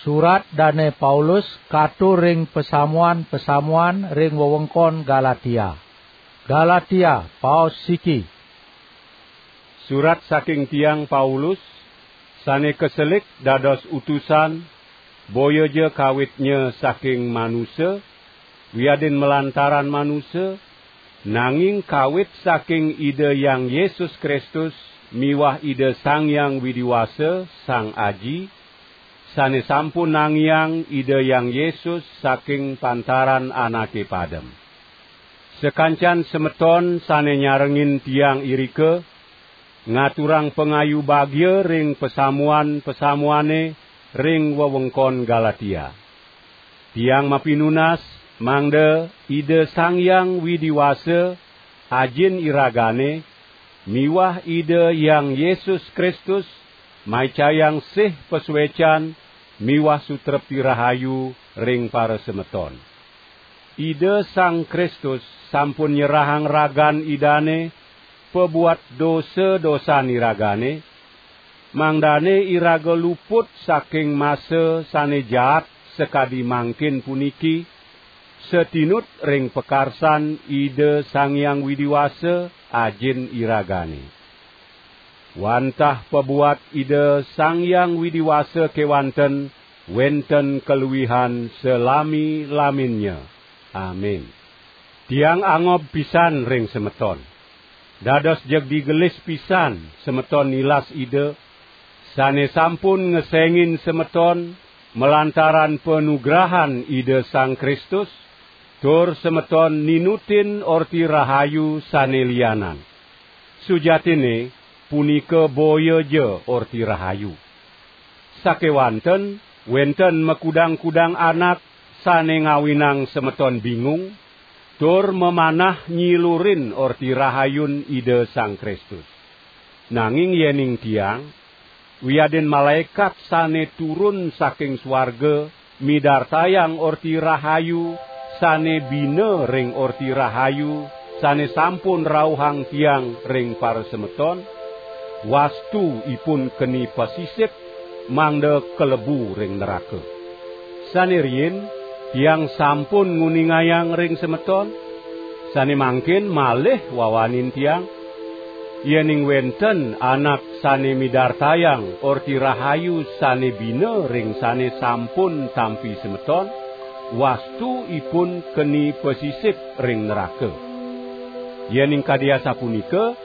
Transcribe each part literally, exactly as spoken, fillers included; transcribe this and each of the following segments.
Surat Dane Paulus katur ring pasamuan-pasamuan ring wewengkon Galatia. Galatia, paos siki. Surat saking tiang Paulus, sane kaselik dados utusan, boya ja kawitnya saking manusa, wiadin malantaran manusa, nanging kawit saking Ida Hyang Yesus Kristus miwah Ida Sang Hyang Widi Wasa, Sang Aji, sane sampun nangiang Ida Hyang Yesus saking pantaran anake padem. Sakancan semeton sane nyarengin tiang irika, ngaturang pangayu bagia ring pasamuan-pasamuane ring wewengkon Galatia. Tiang mapinunas mangda Ida Sang Hyang Widi Wasa, Ajin iragane, miwah Ida Hyang Yesus Kristus maicayang sih pasuecan miwah sutrepti rahayu ring parasemeton. Ida Sang Kristus sampun nyerahang ragan Idane pabuat dosa-dosan iragane, mangdane iraga luput saking masa sane jaat sakadi mangkin puniki, satinut ring pakarsan Ida Sang Hyang Widi Wasa, Ajin iragane. Wantah pabuat Ida Sang Hyang Widi Wasa kewanten wenten kaluihan salami-laminnya. Amin. Tiang angob pisan ring semeton. Dados jeg digelis pisan semeton nilas Ida, sane sampun ngesengin semeton malantaran panugrahan Ida Sang Kristus, tur semeton ninutin Orti Rahayu sane lianan. Sujatine, punika boya ja Orti Rahayu. Sakewanten wenten makudang-kudang anak sane ngawinang semeton bingung, tur mamanah nyilurin Orti Rahayun Ida Sang Kristus. Nanging yening tiang, wiadin malaekat sane turun saking suarga, midartayang Orti Rahayu sane bina ring Orti Rahayu sane sampun rauhang tiang ring parasemeton, wastu ipun keni pasisip, mangda kalebu ring neraka. Sane riin, tiang sampun nguningayang ring semeton, sane mangkin malih wawanin tiang, yening wenten anak sane midartayang Orti Rahayu sane bina ring sane sampun tampi semeton, wastu ipun keni pasisip ring neraka. Yening kadi asapunika,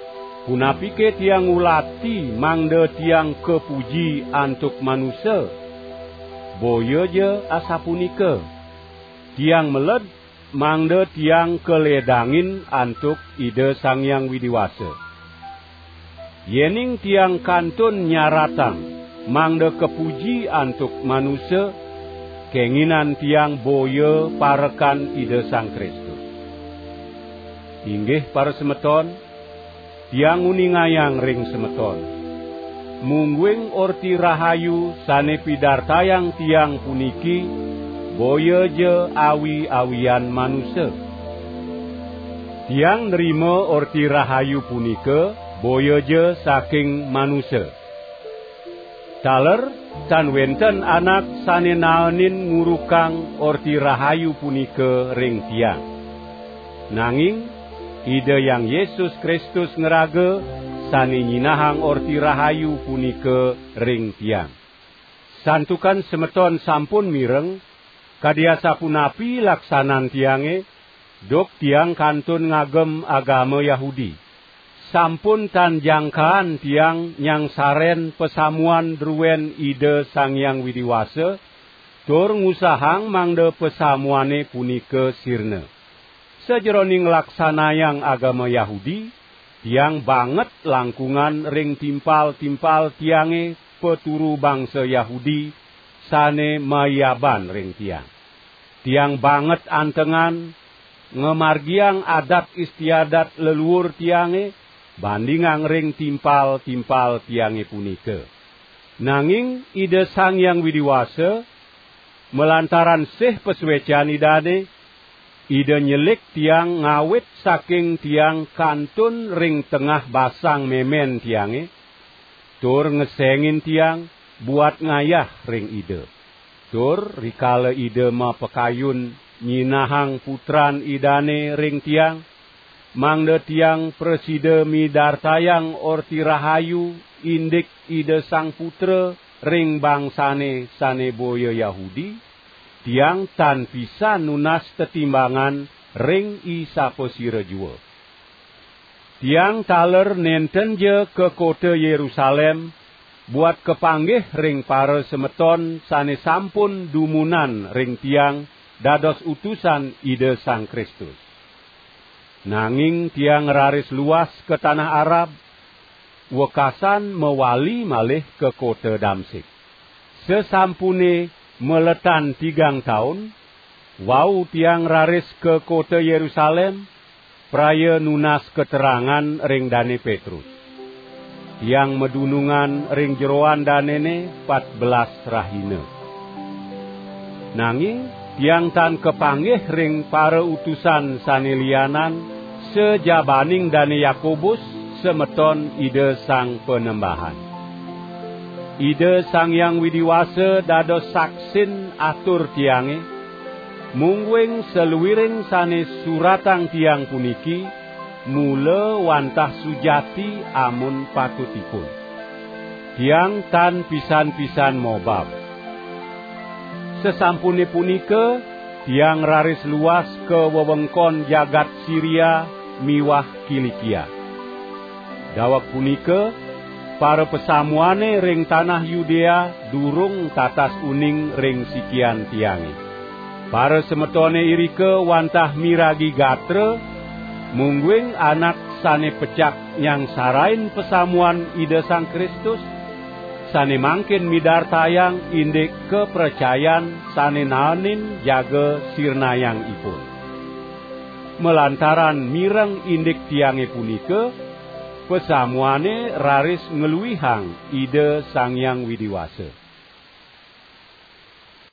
punapike tiang ngulati mangda tiang kapuji antuk manusa? Boya ja asapunika. Tiang meled mangda tiang kaledangin antuk Ida Sang Hyang Widi Wasa. Yening tiang kantun nyaratang mangda kapuji antuk manusa, kenginan tiang boya parekan Ida Sang Kristus. Inggih parasemeton, tiang nguningayang ring semeton, mungguing Orti Rahayu sane pidartayang tiang puniki boya ja awi-awian manusa. Tiang nrima Orti Rahayu punika boya ja saking manusa. Taler tan wenten anak sane naenin ngurukang Orti Rahayu punika ring tiang. Nanging Ida Hyang Yesus Kristus ngraga sane nyinahang Orti Rahayu punika ring tiang. Santukan semeton sampun mireng, kadi asapunapi laksanan tiange, duk tiang kantun ngagem agama Yahudi. Sampun tan jangkaan tiang nyangsaren pasamuan druen Ida Sang Hyang Widi Wasa, tur ngusahang mangda pasamuane punika sirna. Sajeroning nglaksanayang agama Yahudi, tiang banget langkungan ring timpal-timpal tiange paturu bangsa Yahudi sane mayaban ring tiang. Tiang banget antengan ngamargiang adat istiadat leluur tiange bandingang ring timpal-timpal tiange punika. Nanging Ida Sang Hyang Widi Wasa, malantaran sih pasuecan Idane, Ida nyelik tiang ngawit saking tiang kantun ring tengah basang memen tiange, tur ngesengin tiang buat ngayah ring Ida. Tur rikala Ida mapakayun nyinahang Putran Idane ring tiang, mangda tiang prasida midartayang Orti Rahayu indik Ida Sang Putra ring bangsane sane boya Yahudi, tiang tan pisan nunas tetimbangan ring isapasira jua. Tiang taler nentenja ka kota Yerusalem buat kapanggih ring parasemeton sane sampun dumunan ring tiang dados utusan Ida Sang Kristus. Nanging tiang raris luas ka tanah Arab, wekasan mawali malih ka kota Damsik. Sasampune maletan tigang taun, wau tiang raris ka kota Yerusalem, praya nunas katerangan ring Dane Petrus. Tiang madunungan ring jeroan danene patbelas rahina. Nanging tiang tan kapanggih ring parautusan sane lianan, sajabaning Dane Yakobus, semeton Ida Sang Panembahan. Ida Sang Hyang Widi Wasa dados saksin atur tiange, mungguing saluiring sane suratang tiang puniki mula wantah sujati amun patutipun. Tiang tan pisan-pisan mobab. Sasampune punika, tiang raris luas ka wewengkon jagat Siria miwah Kilikia. Daweg punika, parapasamuane ring tanah Yudea durung tatas uning ring sikian tiange. Parasemetone irika wantah miragi gatra, mungguing anak sane pecak nyangsarain pasamuan Ida Sang Kristus, sane mangkin midartayang indik kapracayan sane naenin jaga sirnayang ipun. Malantaran mireng indik tiange punika, pasamuane raris ngluihang Ida Sang Hyang Widi Wasa.